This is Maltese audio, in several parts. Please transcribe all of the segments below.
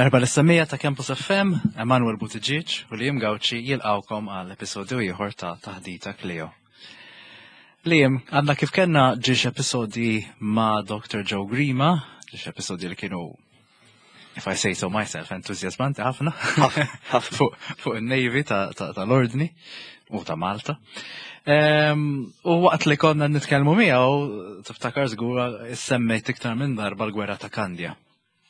Merħba lis-semmiegħa ta' Campus FM, Emanuel Buttigieg u Liam Gauci jilqawkom għal episodju ieħor ta' Taħdita Clio. Liam, għandna kif kellna ġiex episodji ma' Dr. Joe Grima, ġiex episodji li kienu if I say so myself, entuzjazmanti ħafna fuq fu il-Navy tal-Ordni u ta' Malta. Ehm, u waqt li konna nitkellmu miegħu, tiftakar żgur semmejt iktar minn darba l-gwerra ta' Kandja.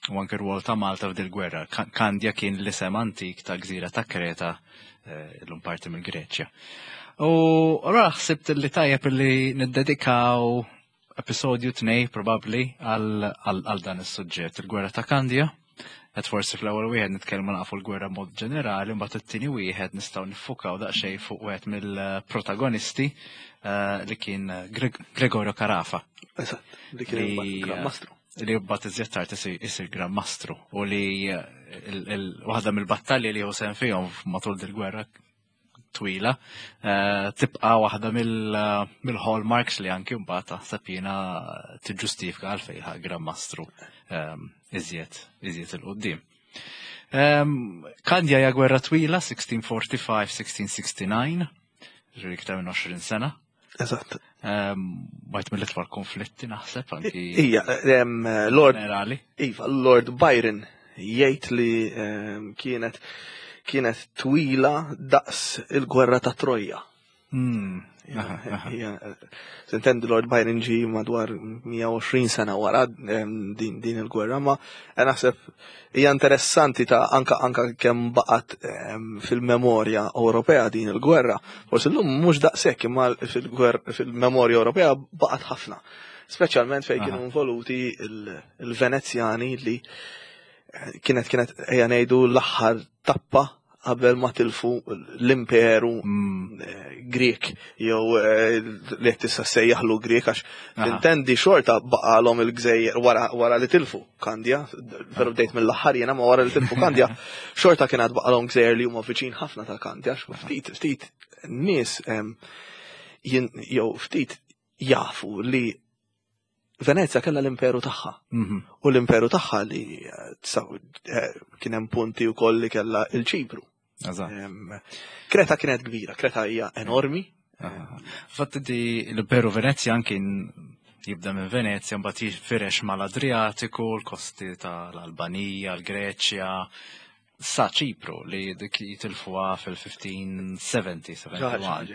U anke r-rwol ta' Malta f'dil gwerra. Kandja kien l-isem antik ta' gżira ta' Kreta, eh, l-lum parti mill-Greċja. U allura ħsibt li tajjeb li niddedikaw episodju tnej probabbli għal dan is-suġġett, il-gwerra ta' Kandja. Qed forsi fl-ewwel wieħed nitkellmu nafu l-gwerra mod ġenerali, mbagħad it-tieni wieħed nistgħu niffukaw daqsxejn fuq wieħed mill-protagonisti eh, li kien Gregorio Carafa. Eżatt, li kien Gran Mastru. Li mbagħad iżjed tard isir Gran Mastru u li eh, waħda mill-battalji li hu sehem fihom matul dil-gwerra twila, eh, tibqa waħda mill-hallmarks li anki mbagħad taħseb jiena tiġġustifika għalfejn ħa Gran Mastru ehm, iżjed iżjed il-qudiem. Ehm, Kandja hija gwerra twila 1645-1669, ġifieri iktar minn 20 sena. Eżatt. Ehm, Bajt mill-itwal konflitti naħseb anki. Ija, ehm, Lord. Generali. Iva, Lord Byron jgħid li ehm, kienet kienet twila daqs il-gwerra ta' Troja. Hmm. Sintendi Lord Byron ġi madwar 120 sena wara din, din il-gwerra, ma eh, naħseb hija interessanti ta' anka anka kemm baqgħet fil-memorja Ewropea din il-gwerra. Forsi llum mhux daqshekk imma fil-memorja Ewropea baqgħet ħafna. Speċjalment fejn kienu involuti il-Venezjani li eh, kienet kienet ejja ngħidu l-aħħar tappa qabel ma tilfu l-imperu mm. eh, Grek jew eh, li qed tista' sejjaħlu Grek għax tintendi xorta baqalhom il-gżejjer wara li tilfu Kandja, veru bdejt mill-aħħar jiena ma wara li tilfu Kandja, xorta kien għad baqalhom gżejjer li huma viċin ħafna ta' Kandja, ftit ftit nies jew ftit jafu li Venezja kellha l-imperu tagħha. Mhm. U l-imperu tagħha li eh, eh, kien hemm punti wkoll li kellha il-Ċipru. Kreta kienet kbira, Kreta hija enormi. Fatt di l-imperu Venezjan kien jibda minn Venezja mbagħad jifirex mal-Adriatiku, l-kosti tal-Albanija, l-Greċja, sa Ċipru li dik jitilfuha fil-1570, 71.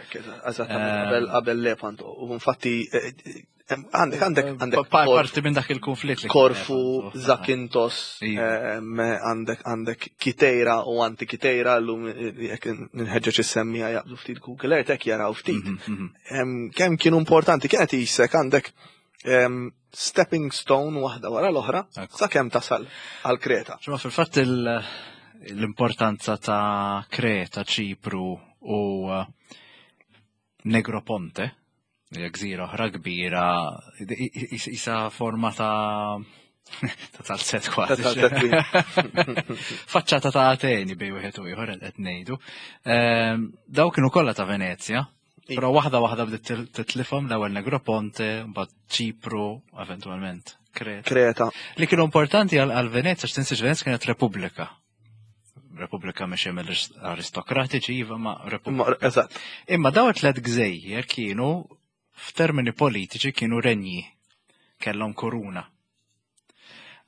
Eżattament, qabel Lepanto. U infatti eh, eh, għandek għandek eh, għandek parti minn dak il-konflitt li Korfu, Zakintos, iva. għandek għandek Kitejra u anti Kitejra llum jekk nħeġġeġ is-semmija jaqbdu ftit Google Earth hekk jaraw ftit. Mhm, mhm. Kemm kienu importanti kienet isek għandek stepping stone waħda wara l-oħra sakemm tasal għal Kreta. Ġimma fil-fatt l-importanza ta' Kreta, Ċipru u uh, Negroponte, hija gżira oħra kbira, isa forma ta' ta' tal-set kważi. Faċċata ta' Ateni bej wieħed u ieħor qed ngħidu. Ehm, daw kienu kollha ta' Venezja, Però waħda waħda bdiet titlifhom l-ewwel Negroponte, mbagħad Ċipru, eventwalment Kreta. Kreta. Li kienu importanti għal Venezia, x'tinsiex Venezia kienet repubblika. Repubblika mhix mill-aristokratiċi, iva ma repubblika. Eżatt. Imma daw it-tlet gżejjer kienu f'termini politiċi kienu renji, kellhom koruna.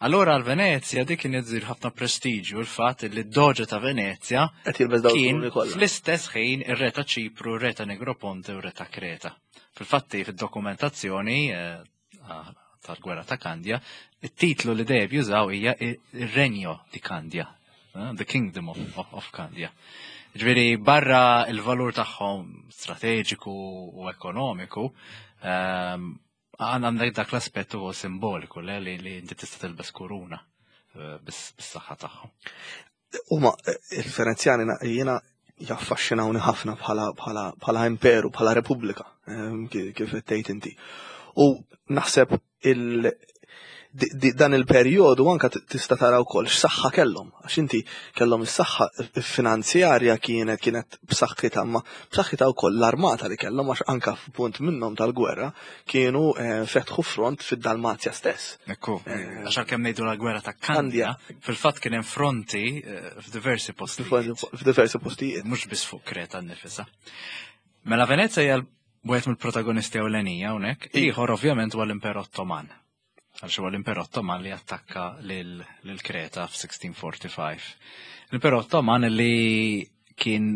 Allora għal Venezia dik kien iżir ħafna prestiġju l-fatt li d-doġa ta' Venezia kien fl-istess ħin ir-re ta' Ċipru, ir-re ta' Negroponte u r-re ta' Kreta. Fil-fatti fid-dokumentazzjoni eh, tal-gwerra ta' Kandja, it-titlu li dejjem jużaw hija ir-Renjo di Kandja, eh, the Kingdom of, of, of Kandja. Ġifieri barra il-valur tagħhom strateġiku u ekonomiku, ehm, Għandek dak l-aspett ukoll simboliku le li li inti tista' tilbes kuruna eh, bis-saħħa tagħhom. Huma eh, il-Venezjani jiena jaffaxxinawni ħafna bħala bħala bħala imperu, bħala repubblika, eh, kif qed tgħid inti. U naħseb il Dan il-perjodu anka tista' tara wkoll x'saħħa kellhom, għax inti kellhom is-saħħa finanzjarja kienet kienet b'saħħitha ma b'saħħitha wkoll l-armata li kellhom għax anka f'punt minnhom tal-gwerra kienu eh, fetħu front fid-Dalmazja stess. Ekku, eh, għax għalkemm ngħidu la gwerra ta' Kandja, fil-fatt kien hemm fronti eh, f'diversi postijiet. F'diversi postijiet. Mhux biss fuq Kreta nnifisha. Mela Venezia hija wieħed mill-protagonisti ewlenija hawnhekk, ieħor ovvjament huwa l-Imperu Ottoman. Għalx huwa l-Imperu Ottoman li attakka lil Kreta f'1645. L-Imperu Ottoman li kien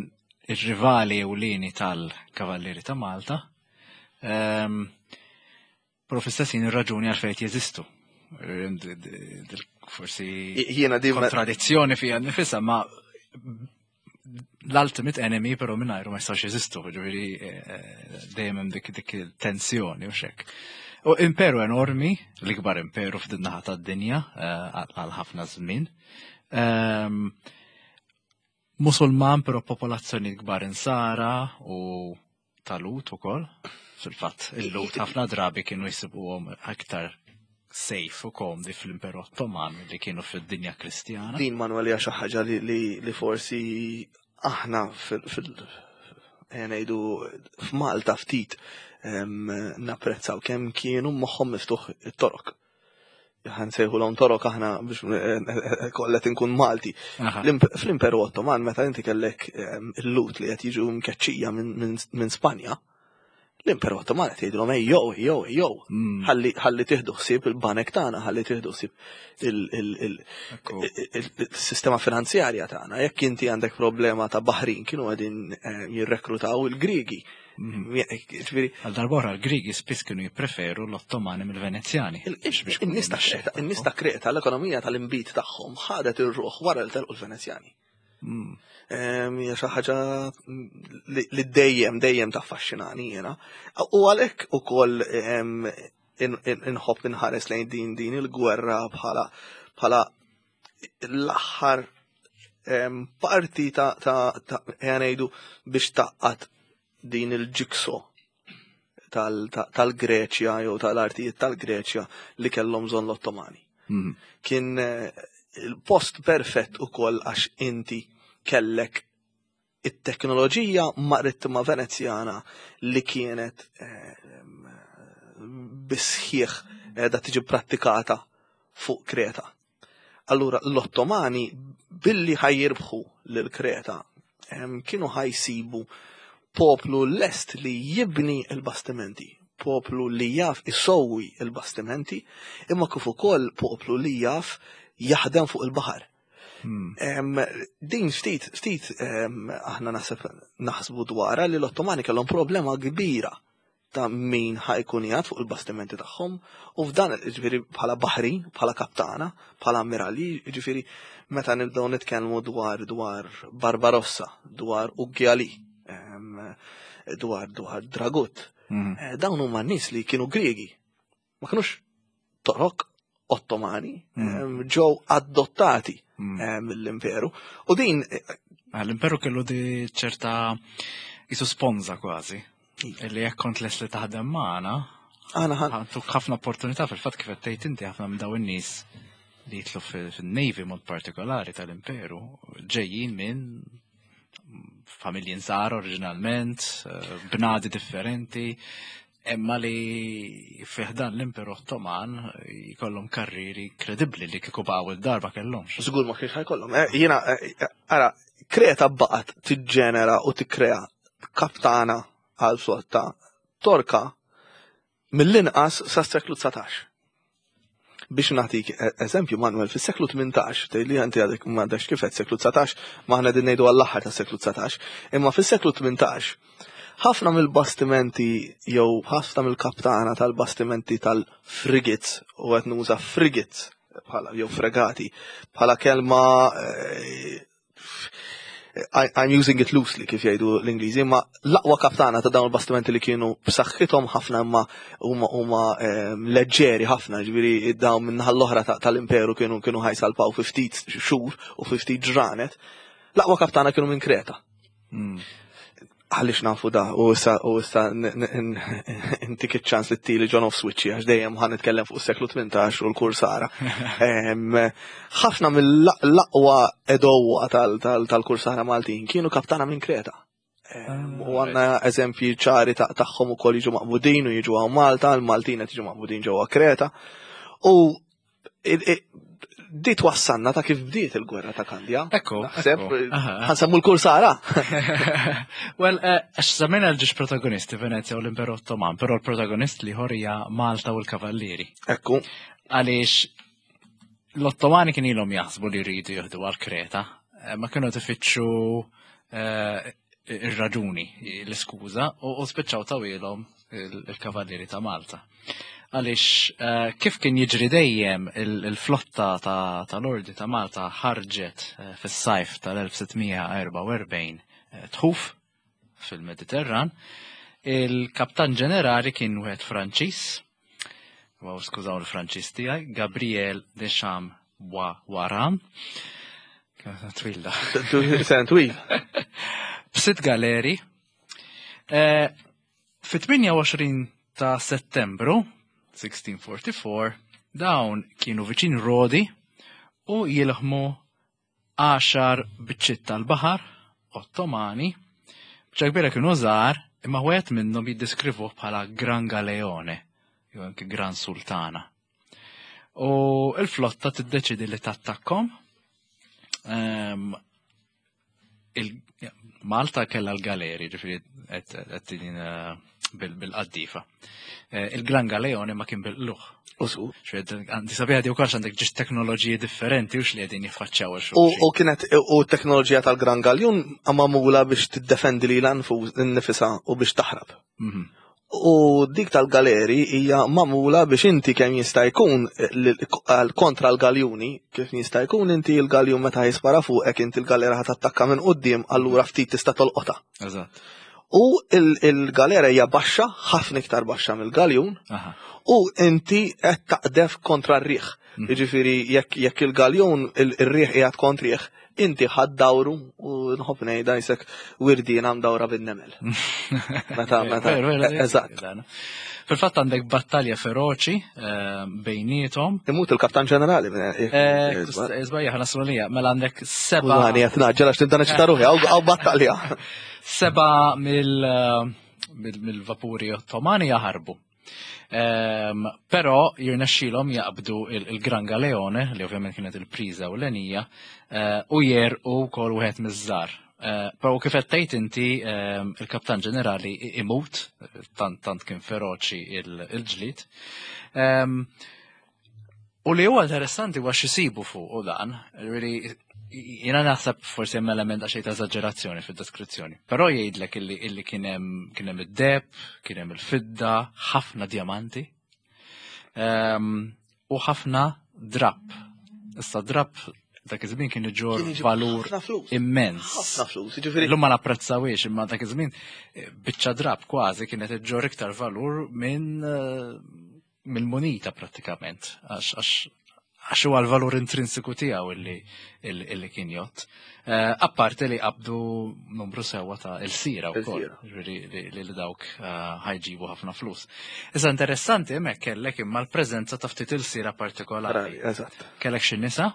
ir-rivali ewlieni tal-Kavallieri ta' Malta, ehm, Però fl-istess ħin ir-raġuni għalfejn qed jeżistu. Forsi jiena di kontradizzjoni fija nifisha, ma l-ultimate enemy però mingħajru ma jistax jeżistu, ġifieri eh, eh, dejjem hemm dik dik tensjoni u xek. U imperu enormi, l-ikbar imperu f'din naħa tad-dinja eh, għal ħafna żmien. Ehm, Musulman però popolazzjoni kbar insara u ta'-Lhud ukoll. Fil-fatt, il-Lhud ħafna drabi kienu jsibuhom aktar safe u komdi fl-Imperu Ottoman li kienu fid-dinja Kristjana. Din Manuel hija xi ħaġa li, li, li forsi aħna fil, fil ngħidu f'Malta ftit napprezzaw kemm kienu moħħhom miftuħ it-Torok. Ħan sejħu torok aħna biex eh, eh, eh, kollet inkun Malti. Fl-Imperu Ottoman meta inti kellek il-Lhud li qed jiġu mkeċċija minn Spanja, l-Imperu Ottoman qed jgħidilhom ej jew jew jew mm. ħalli tieħdu ħsieb il-banek tagħna, ħalli tieħdu ħsieb il-sistema finanzjarja tagħna. Jekk inti għandek problema ta' baħrin kienu qegħdin jirrekrutaw il-Griegi. Mhm. Għal darbora l-Grigi spiss kienu jippreferu l-Ottomani mill-Venezjani. In-nies ta' Kreta l-ekonomija tal-imbit tagħhom ħadet ir-ruħ wara li telqu l-Venezjani. Mm. Hija xi ħaġa li dejjem dejjem taffaxxinani jiena. U għalhekk ukoll inħobb inħares lejn din din il-gwerra bħala bħala l-aħħar parti ta' ta' ta' ngħidu biex taqqat din il-ġikso tal-Greċja jew tal-artijiet tal-Greċja li kellhom bżonn l-Ottomani. Mhm. Kien eh, il-post perfett ukoll għax inti kellek it-teknoloġija marittima Venezjana li kienet eh, bisħieħ da tiġi prattikata fuq Kreta. Allura l-Ottomani billi ħajjirbħu lil Kreta kienu ħajsibu poplu lest li jibni l-bastimenti, poplu li jaf isowwi l-bastimenti, imma kif ukoll poplu li jaf jaħdem fuq il-baħar. Hmm. Din ftit, ftit aħna naħseb naħsbu dwarha li l-Ottomani kellhom problema kbira ta' min ħajkun jgħad fuq il-bastimenti tagħhom u f'dan ġifieri bħala baħrin, bħala kaptana, bħala ammirali, ġifieri meta nibdew nitkellmu dwar dwar Barbarossa, dwar Uggjali, dwar dwar Dragut. Mhm. Eh, dawn huma nies li kienu Griegi. Ma kinux Torok Ottomani, mhm. ġew adottati mhm. mill-imperu. U din eh, ah, l-imperu kellu di ċerta jisu sponza kważi. Illi jekk kont les li taħdem magħna, Aħna ħan. Tuk ħafna opportunità fil-fatt kif qed tgħid inti ħafna minn dawn in-nies li jitlu fin-Navy mod partikolari tal-Imperu ġejjin minn familji nsara oriġinalment, eh, bnadi differenti, imma li fiħdan l-Imperu Ottoman jkollhom karriri kredibbli li kieku baqgħu id-darba kellhomx. Żgur ma kienx ħajkollhom. Eh, jiena, eh, ara, Kreta baqgħet tiġġenera u tikkrea kaptana għal flotta Torka mill-inqas sas-seklu 19. Biex nagħtik e- eżempju, Manuel, fis-seklu 18, tgħidli inti għadek ma għadekx kif qed seklu 19, ma aħna din ngħidu għall-aħħar tas-seklu 19, imma fis-seklu 18 ħafna mill-bastimenti jew ħafna mill-kaptana tal-bastimenti tal-frigates u qed nuża frigates bħala jew fregati bħala kelma eh, I'm using it loosely kif jgħidu l-Ingliżi, imma l-aqwa kaptana ta' dawn il-bastimenti li kienu b'saħħithom ħafna imma huma huma ehm, leġġeri ħafna, ġifieri dawn minn l-oħra tal-imperu kienu kienu ħajsalpaw fi ftit xhur u fi ftit ġranet. L-aqwa kaptana kienu minn Kreta. Hmm. Għaliex nafu da, u issa u issa intik iċ-ċans li tili John of Switchy għax dejjem ħa nitkellem fuq is-seklu 18 u l-kursara. Ħafna mill-aqwa edowa tal-kursara Maltin kienu kaptana minn Kreta. U għanna eżempji ċari tagħhom ukoll jiġu maqbudin u jiġu għaw Malta, l-Maltin qed jiġu maqbudin ġewwa Kreta. U di twassanna ta' kif bdiet il-gwerra ta' Kandja. Ekku. Naħseb, ħansemmu l-kursara. Well, eh, għax semmejna l-ġiex protagonisti Venezia u l-Imperu Ottoman, però l-protagonist li ħorija Malta u l-Kavallieri. Ekku. Għaliex l-Ottomani kien ilhom jaħsbu li jridu jieħdu għal Kreta, eh, ma kienu tifittxu eh, ir-raġuni, l-iskuża, u spiċċaw tawilhom il-Kavallieri ta' Malta. Għaliex eh, kif kien jiġri dejjem il-flotta tal-Ordi ta' Malta ħarġet eh, fis-sajf tal-1644 eh, tħuf fil-Mediterran, il-kaptan ġenerali kien wieħed Franċiż, Wow, skużaw il-Franċiż tiegħi, Gabriel Deschamps Waran. Twil da. Sen twil. B'sitt galeri. Fit-28 ta' Settembru 1644 dawn kienu viċin Rodi u jilħmu għaxar biċċiet tal-baħar Ottomani, biċċa kbira kienu żgħar imma wieħed minnhom jiddeskrivuh bħala Gran Galeone jew anke Gran Sultana. U l-flotta tiddeċidi li tattakkom. Ehm, Malta kellha l-galeri, ġifieri qed eh, bil-qaddifa. Eh, il-Gran Galeone ma kien bil-luħ. Usu. Għandi sabiħa di u kolx għandek ġiġ teknoloġiji differenti u xli għedin jiffaċċaw U kienet u teknoloġija tal-Gran Galjun għamamula biex tiddefendi li l-nifisa u biex taħrab. Mhm. U dik tal-galeri hija magħmula biex inti kemm jista' jkun kontra l-galjuni, kif jista' jkun inti l-galjun meta jispara fuqek inti l-galera ħa tattakka minn quddiem allura ftit tista' tolqotha. Eżatt. U il-galera hija baxxa, ħafna iktar baxxa mill-galjun, u inti qed taqdef kontra r-riħ. Mhm. Jiġifieri jekk il-galjun ir-riħ qiegħed kontrih, inti ħadd dawru u nħobb ngħidha jisek wirdiena mdawra bin-nemel. Meta meta. Eżatt. Fil-fatt għandek battalja feroċi eh, bejnietom. Imut il-kaptan ġenerali. Eh, Iżbajja ħana slolija, mela għandek seba. Għani qed naġġel għax tibda neċita ruħi, għaw battalja. Seba eh, mill-vapuri ottomani jaħarbu. Ehm, però jirnexxilhom jaqbdu il-Gran Galeone, li ovvjament kienet il-priża u l-enija, eh, u jerqu wkoll wieħed miż-żar. Eh, però kif qed tgħid inti ehm, il-Kaptan Ġenerali imut, tant tant kien feroċi il-ġlid. Ehm, U li huwa interessanti huwa x'isibu fuq u dan, really jiena naħseb forsi hemm element għax ta' eżaġerazzjoni fid-deskrizzjoni. Però jgħidlek illi illi kien hemm kien hemm id-deb, kien hemm il-fidda, ħafna djamanti. Ehm, u ħafna drapp. Issa drapp dak iż-żmien kien iġor valur immens. Ħafna flus, jiġifieri. Illum ma napprezzawiex imma dak iż-żmien eh, biċċa drapp kważi kienet iġor iktar valur minn eh, mill-munita prattikament, għax huwa l-valur intrinsiku tiegħu illi, illi kien jott. Eh, apparti li qabdu numru sewa ta' il-sira wkoll, li li dawk eh, ħajġibu ħafna flus. Issa interessanti hemmhekk kellek imma l-preżenza ta' ftit il-sira partikolari. Kellek xi nisa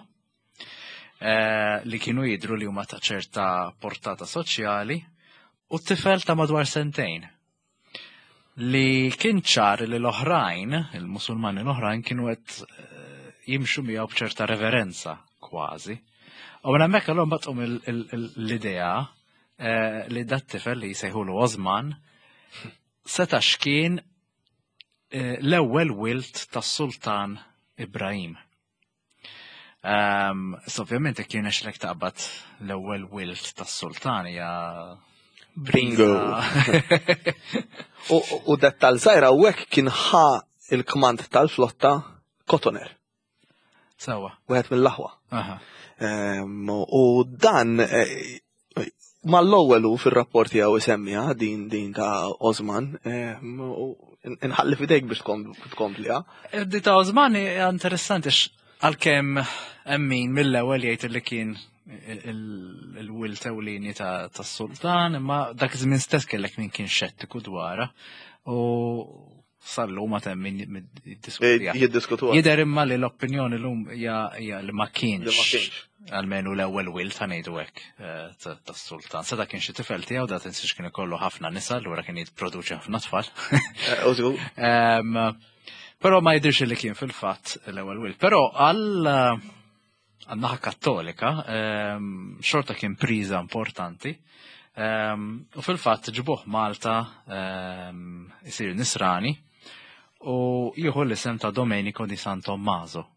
eh, li kienu jidru li huma ta' ċerta portata soċjali u t-tifel ta' madwar sentejn li kien ċar li l-oħrajn, il-Musulmani l-oħrajn kienu qed eh, jimxu miegħu b'ċerta reverenza kważi. U minn hemmhekk allura mbagħad tqum l-idea eh, li dat tifel li jsejħulu Osman seta' x'kien eh, l-ewwel wilt tas-Sultan Ibrahim. Um, so ovvjament jekk jirnexxilek taqbad l-ewwel wilt tas-sultan hija Bingo. U dettal żgħira hawnhekk kien ħa il-kmand tal-flotta Cotoner. Sawa. Wieħed mill-aħwa. Ehm, u dan eh, mal-ewwel hu fir-rapport tiegħu isemmiha din din ta' Osman, ehm, u inħalli fidejk biex tkompliha. Di ta' Osman hija interessanti għalkemm hemm min mill-ewwel jgħid li kien il-wilt ewlieni tas-sultan, imma dak iż-żmien stess kellek min kien xettiku dwarha u sal-lum ma hemm min jiddiskuti. Jiddiskutu. Jidher imma li l-opinjoni llum hija li ma kienx almenu l-ewwel wilt ħa ngħidu hekk eh, tas-sultan. Seta' kien xi tifel tiegħu da tinsiex kien ikollu ħafna nisa, allura kien jipproduċi ħafna tfal. Eh, però ma jidhirx li kien fil-fatt l-ewwel wilt. Però għal għan-naħa kattolika, ehm, xorta kien priża importanti. Ehm, u fil-fatt ġibuh Malta ehm, isir nisrani u jieħu l-isem ta' Domenico di San Tommaso.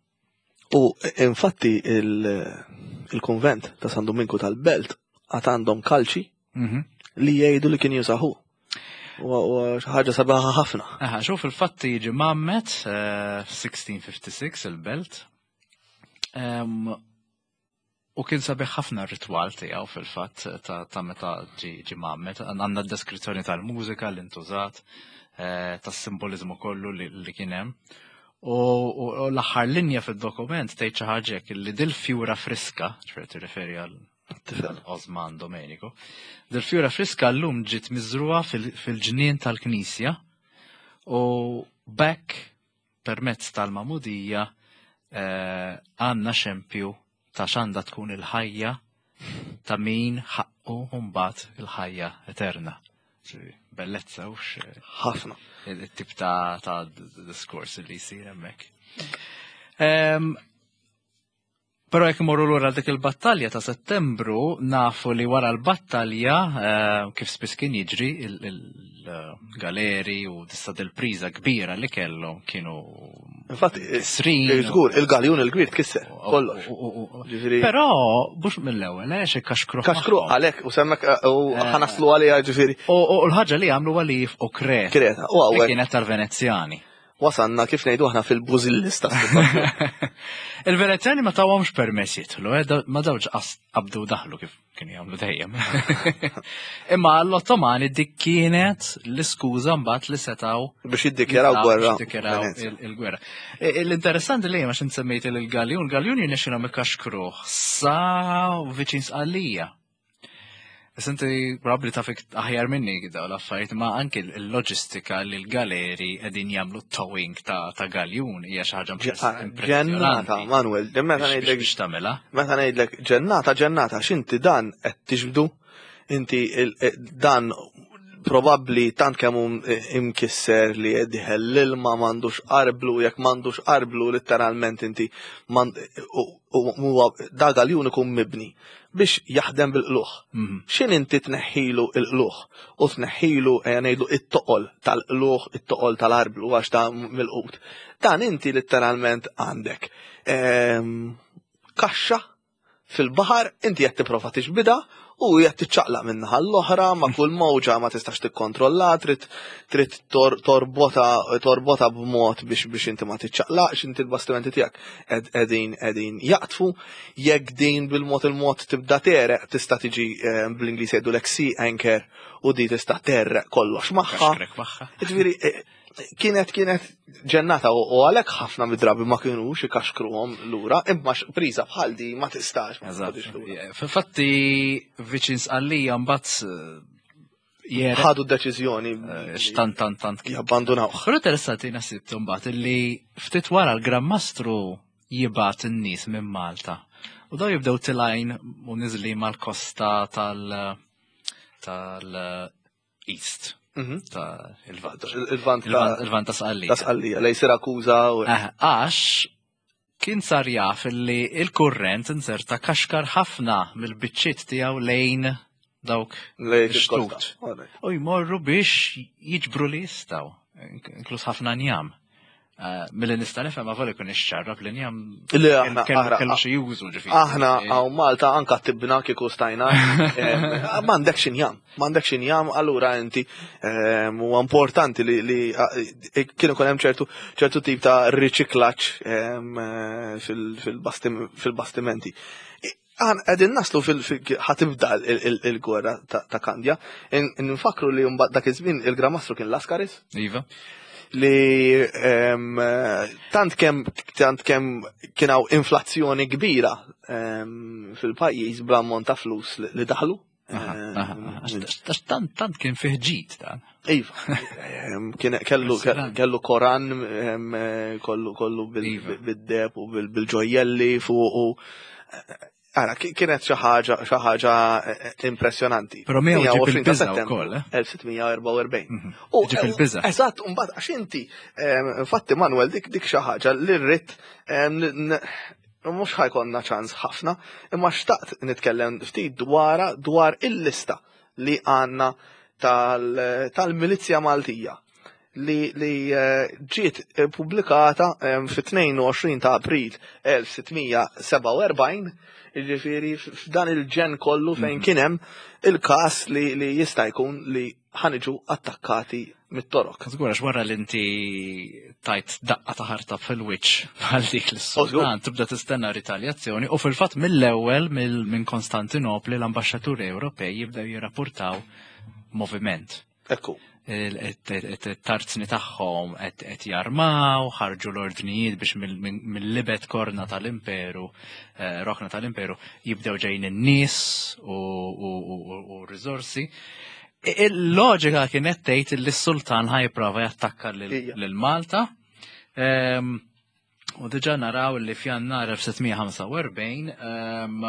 U infatti il-konvent ta' San Dominku tal-Belt għat għandhom kalċi mhm. li jgħidu li kien jużahu. U ħaġa sabaħa ħafna. Aha, xuf fil-fatt jiġi mammet 1656 eh, il-belt U kien sabiħ ħafna r-ritwal tiegħu fil-fatt ta' meta ġi mgħammed. Għandna d-deskrizzjoni tal-mużika li ntużat, eh, tas-simbolizmu kollu li kien hemm. U l-aħħar linja fid-dokument tgħid xi ħaġa hekk li dil-fjura friska, ġifieri tirreferi għal Osman Domenico, dil-fjura friska llum ġiet miżruha fil-ġnien tal-knisja u bekk permezz tal-magħmudija eh, għandna xempju ta' x'għandha tkun il-ħajja ta' min ħaqqu mbagħad il-ħajja eterna. Bellezza u ħafna. Il-tip ta', ta diskors li jsir hemmhekk. Ehm, Però jekk imorru lura dik il-battalja ta' Settembru, nafu li wara l-battalja, eh, kif spiss kien jiġri, il-galeri u dista dil-priża kbira li kellhom kienu Infatti, kisrin. Żgur, il-galjun il-kbir tkisser, kollox. Però mhux mill-ewwel, eh, xi kaxkru. Kaxkru għalhekk u semmek eh, u eh. ħanaslu għaliha ġifieri. U l-ħaġa li għamlu għalli jifqu Kreta. Kreta, u hawnhekk. Kienet tal-Venezjani. Wasanna kif ngħidu aħna fil-bużillista. Il-Venezjani ma tawhomx permess jidħlu, eh, ma dawx qabdu daħlu kif kienu jagħmlu dejjem. Imma l-Ottomani dik kienet l-iskuża mbagħad li setgħu biex jiddikjaraw gwerra. Jiddikjaraw il-gwerra. E, e, l-interessanti li għax insemmejt il-Galjun, il-Galjun jirnexxilhom ikaxkruh sa viċin Sqallija. Issa inti probabbli taf aħjar minni daw l-affarijiet, ma anki l-loġistika li l-galeri qegħdin jagħmlu towing ta', ta galjun hija xi ħaġa Ġennata, Manuel, meta ngħidlek biex tagħmilha. Meta ngħidlek ġennata, ġennata, x'inti dan qed tiġbdu, inti eh, dan probabbli tant kemm hu imkisser li qed dieħel l-ilma m'għandux arblu, jekk m'għandux arblu litteralment inti huwa da galjun ikun mibni biex jaħdem bil-qluħ. Mhm. X'in inti tneħħilu l-qluħ u tneħħilu ejja ngħidlu it-toqol tal-qluħ, it-toqol tal-arblu għax ta' mill-qut. Dan inti litteralment għandek ehm, kaxxa fil-baħar inti qed tipprova tixbidha u qed tiċċaqlaq minn naħa l-oħra ma' kull mowġa ma tistax tikkontrolla, trid trid torbota torbota b'mod biex biex inti ma tiċċaqlaqx, inti l-bastimenti tiegħek qegħdin qegħdin jaqtfu, jekk din bil-mod il-mod tibda tereq tista' tiġi eh, bl-Ingliż jgħidulek sea anchor u di tista' terreq kollox magħha. Ġifieri eh, kienet kienet ġennata u għalhekk ħafna mid-drabi ma kienux ikaxkruhom lura, imma priża bħal di ma tistax. Fil-fatti viċin sqallija mbagħad eh, ħadu d-deċiżjoni. Eh, x'tant tant tant jabbandunaw. Però interessanti nasib mbagħad illi ftit wara l-Gran Mastru jibgħat in-nies minn Malta. U daw jibdew tilajn u niżli mal-kosta tal tal East. Mhm. Ta' il-Vant. Il-Vant Il-Vant ta' Sqallija. Ta' Sqallija, lej Sirakuza. Eh, għax kien sar jaf li il-kurrent inzerta kaxkar ħafna mill-biċċiet tiegħu lejn dawk ix-xtut. U jmorru biex jiġbru li jistgħu, inkluż ħafna njam. Eh, milli nista' nifhem ma voli kun ixxarrab li njam Li aħna kellu xi jużu ġifieri. Aħna hawn Malta anka tibna kieku stajna. Eh, m'għandekx injam, m'għandekx injam, allura inti eh, huwa importanti li kienu ikun hemm ċertu ċertu tip ta' riċiklaġġ fil-bastimenti. Għan qegħdin naslu fil ħatibda il-gwerra ta' Kandja. Nfakru li mbagħad dak iż-żmien il-Gran Mastru kien Laskaris. Iva. Li tant kemm tant kemm kien hawn inflazzjoni kbira fil-pajjiż bl-ammont ta' flus li daħlu. Għax tant tant kien fih ġid dan. Iva. Kien kellu kellu Koran kollu kollu iva. bid-deb u bil-ġojjelli fuq u Ara, kienet xi ħaġa xi ħaġa eh, eh, impressjonanti. Però miegħu ġib il-biża' wkoll, eh? 1644. Mhm. U ġib il-biża'. Eżatt, mbagħad għax inti, infatti Manuel dik dik xi ħaġa li rrid Mhux ħa jkollna ċans ħafna, imma xtaqt nitkellem ftit dwarha dwar il-lista li għandna tal-Milizja Maltija li, li eh, ġiet pubblikata eh, fit-22 ta' April 1647, jiġifieri f'dan il-ġen kollu fejn mhm. kien hemm il-każ li, li jista' jkun li ħaniġu attakkati mit-torok. Żgur għax wara li inti tajt daqqa ta' ħarta fil-wiċċ bħal dik l-sultan tibda tistenna ritaljazzjoni u fil-fatt mill-ewwel minn Konstantinopli l-ambaxxaturi Ewropej jibdew jirrapportaw moviment. Ekku. It-tarzni tagħhom qed jarmaw, ħarġu l-ordnijiet biex mill-libet korna tal-imperu, eh, rokna tal-imperu, jibdew ġejjin in-nies u r-riżorsi. Il-loġika kienet tgħid li s-sultan ħajprova jattakka lil Malta. Ehm, u diġà naraw li f'Jannar 1645 ehm,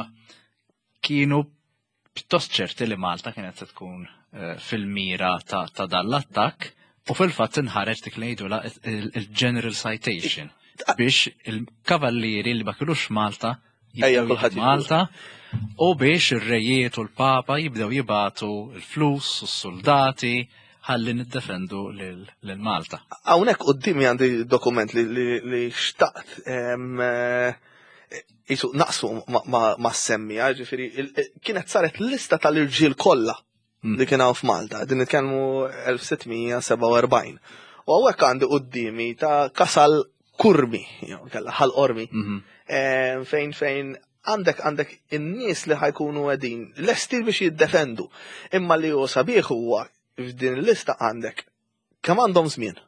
kienu pjuttost ċerti li Malta kienet se tkun eh, fil-mira ta' dan l-attakk u fil-fatt inħareġ dik li jgħidula il-General Citation biex il-kavallieri li ma kinux Malta Ejja kulħadd Malta u biex ir-rejiet u l-papa jibdew jibatu l-flus u s-soldati ħalli niddefendu lil Malta. Hawnhekk quddiemi għandi dokument li xtaqt eh, jisu naqsu ma semmija, ġifieri kienet saret lista tal-irġiel kollha hmm. li kien hawn f'Malta, din nitkellmu 1647. U hawnhekk għandi quddiemi ta' Kasal Kurmi, jew kella ħal Qormi, mhm. eh, fejn fejn għandek għandek in-nies li ħajkunu qegħdin lesti biex jiddefendu. Imma li hu sabiħ huwa f'din il-lista għandek kemm għandhom żmien.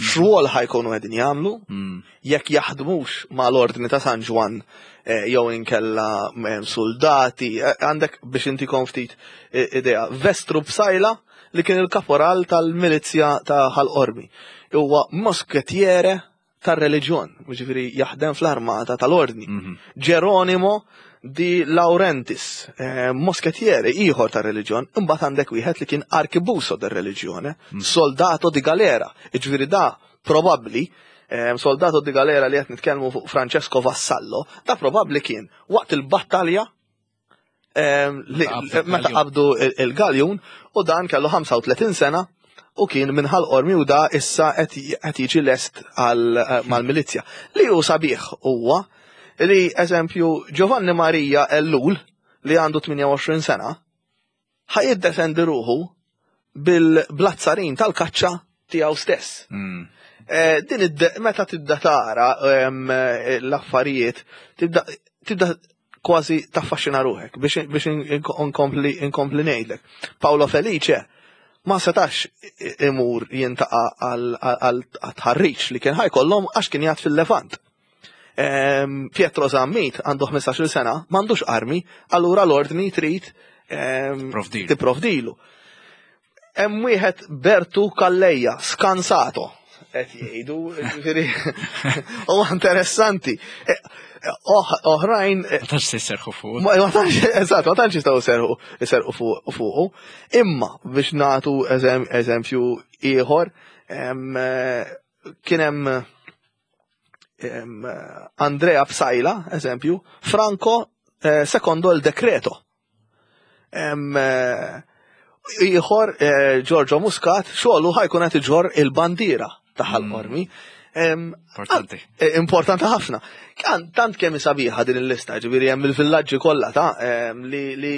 X'rwol ħajkunu qegħdin jagħmlu, mm. jekk jaħdmux mal-ordni ta' San Ġwann eh, jew inkella eh, soldati, eh, għandek biex inti ftit idea. Vestru Bsajla li kien il-kaporal tal-milizja ta' Ħal Qormi. Huwa mosketjere tar-reliġjon, ġifieri jaħdem fl-armata tal-ordni. Mhm. Geronimo di Laurentis, eh, mosketjere ieħor tar-reliġjon, imbagħad għandek wieħed li kien arkibuso dar-reliġjone, mhm. soldato di galera, ġifieri da probabbli eh, soldato di galera li qed nitkellmu fuq Francesco Vassallo, da probabbli kien waqt il-battalja Meta qabdu il-galjun u dan kellu 35 sena u kien minn ħal-qormi u da issa qed jiġi lest eh, mal-milizja. Li hu sabiħ huwa li eżempju Giovanni Maria Ellul li għandu 28 sena ħa jiddefendi ruħu bil-blazzarin tal-kaċċa tiegħu stess. Mm. Eh, din meta tibda tara eh, l-affarijiet, tibda tibda kważi taffaxxina ruħek biex biex inkompli inkompli ngħidlek. Paolo Felice ma setax imur jintaqa għal tħarriġ li kien ħajkollhom għax kien jgħad fil-Levant. Pietro Zammit għandu 15-il sena, m'għandux armi, allura l-ordni trid tipprovdilu. Hemm wieħed Bertu Kalleja, skansato, qed jgħidu, ġifieri huwa interessanti. E, e, oħrajn. E, ma tantx se jserħu fuq. Ma tantx, eżatt, ma tantx jistgħu jserħu jserħu fuqu. Imma biex nagħtu eżempju ieħor, kien hemm Andrea Psajla, eżempju, Franco eh, secondo il decreto. Eh, ieħor eh, Giorgio Muscat xogħlu ħajkun qed iġor il-bandiera ta' ħal-qormi. Importanti. Importanti ħafna. Tant kemm sabiħa din il-lista, ġifieri hemm il-villaġġi kollha ta' li, li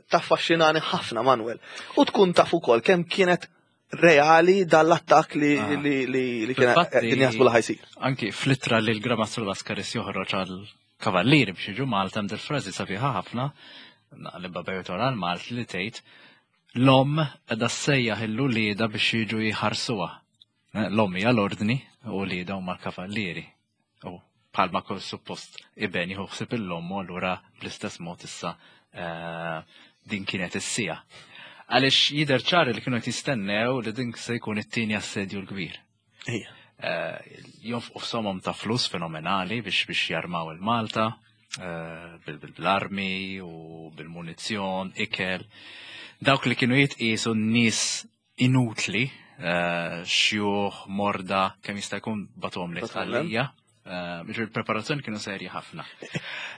taffaxxinani ħafna Manuel. U tkun taf ukoll kemm kienet reali dal-attak li ah. li li li kien qegħdin jaħsbu li ħajsir. Anki fl-ittra li l-Gramastru Laskaris joħroġ għal il-kavallieri biex jiġu Malta hemm frażi sabiħa ħafna naqlibha bejtor għal Malt li tgħid l-omm qiegħda ssejjaħ il-ulieda biex jiġu jħarsuha. Eh, l-omm hija l-ordni u ulieda huma l-kavallieri. U bħalma kull suppost iben jieħu ħsieb il-omm u allura bl-istess mod issa eh, din kienet is-sija. Għaliex jidher ċar li kienu qed jistennew li din se jkun it-tieni assedju l-kbir. Eh, jonfqu f'somom ta' flus fenomenali biex biex jarmaw il-Malta, eh, bil-armi u bil-munizzjon, ikel. Dawk li kienu jitqisu n-nies inutli, eh, xjuħ, morda, kemm jista' jkun batom li tqallija. Ġifieri il-preparazzjoni kienu serji ħafna.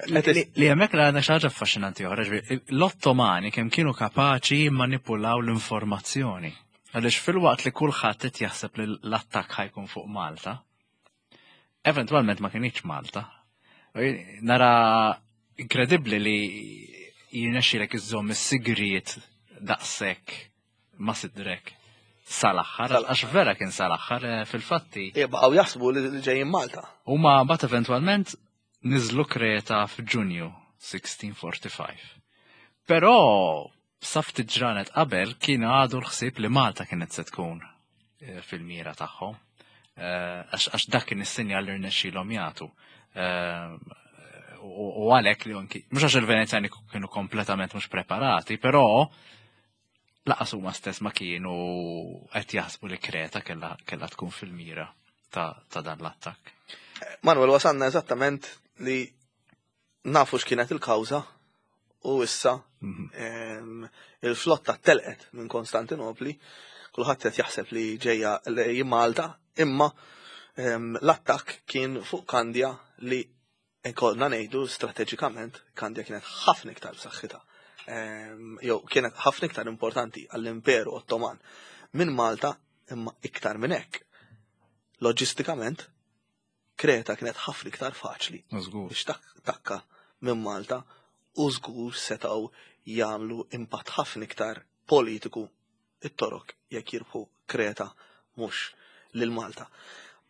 Li hemmhekk li għandna xi ħaġa affaxxinanti oħra, l-Ottomani kemm kienu kapaċi jimmanipulaw l-informazzjoni. Għaliex filwaqt li kulħadd qed jaħseb li l-attakk ħajkun fuq Malta, eventwalment ma kienx Malta. Nara inkredibbli li jirnexxilek iżżomm is-sigriet daqshekk ma sidrek sal-aħħar, għax vera kien sal-aħħar eh, fil-fatti. Baqgħu jaħsbu li ġejjin Malta. Huma bat eventwalment niżlu Kreta f'Ġunju 1645. Però sa ftit ġranet qabel kien għadu l-ħsieb li Malta kienet se tkun eh, fil-mira tagħhom. Eh, għax dak kien is-sinjal li rnexxielhom jagħtu. Eh, u għalhekk li anki, mhux għax il-Venezjani kienu kompletament mhux preparati, però laqas huma stess ma kienu qed jaħsbu li Kreta kellha tkun fil-mira ta' dan l-attakk. Manuel, wasanna eżattament li nafu x'kienet il-kawża u issa mhm. il-flotta telqet minn Konstantinopli, kulħadd qed jaħseb li ġejja lej Malta, imma l-attakk kien fuq Kandja li nkollna ngħidu strateġikament Kandja kienet ħafna iktar b'saħħitha. Jew kienet ħafna iktar importanti għall-Imperu Ottoman minn Malta imma iktar minn hekk. Loġistikament Kreta kienet ħafna iktar faċli biex takka minn Malta u żgur setgħu jagħmlu impatt ħafna iktar politiku it-Torok jekk jirbħu Kreta mhux lil Malta.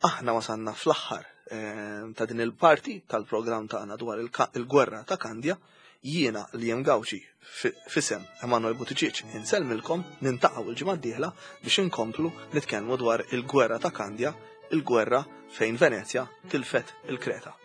Aħna wasanna fl-aħħar eh, ta' din il-parti tal-programm tagħna dwar il-gwerra ta' Kandja. Jiena li jem Gawċi fisem Emanuel Buttigieg insellmilkom nintaqgħu il-ġimgħa d-dieħla biex inkomplu nitkellmu dwar il-gwerra ta' Kandja, il-gwerra fejn Venezja tilfet il-Kreta.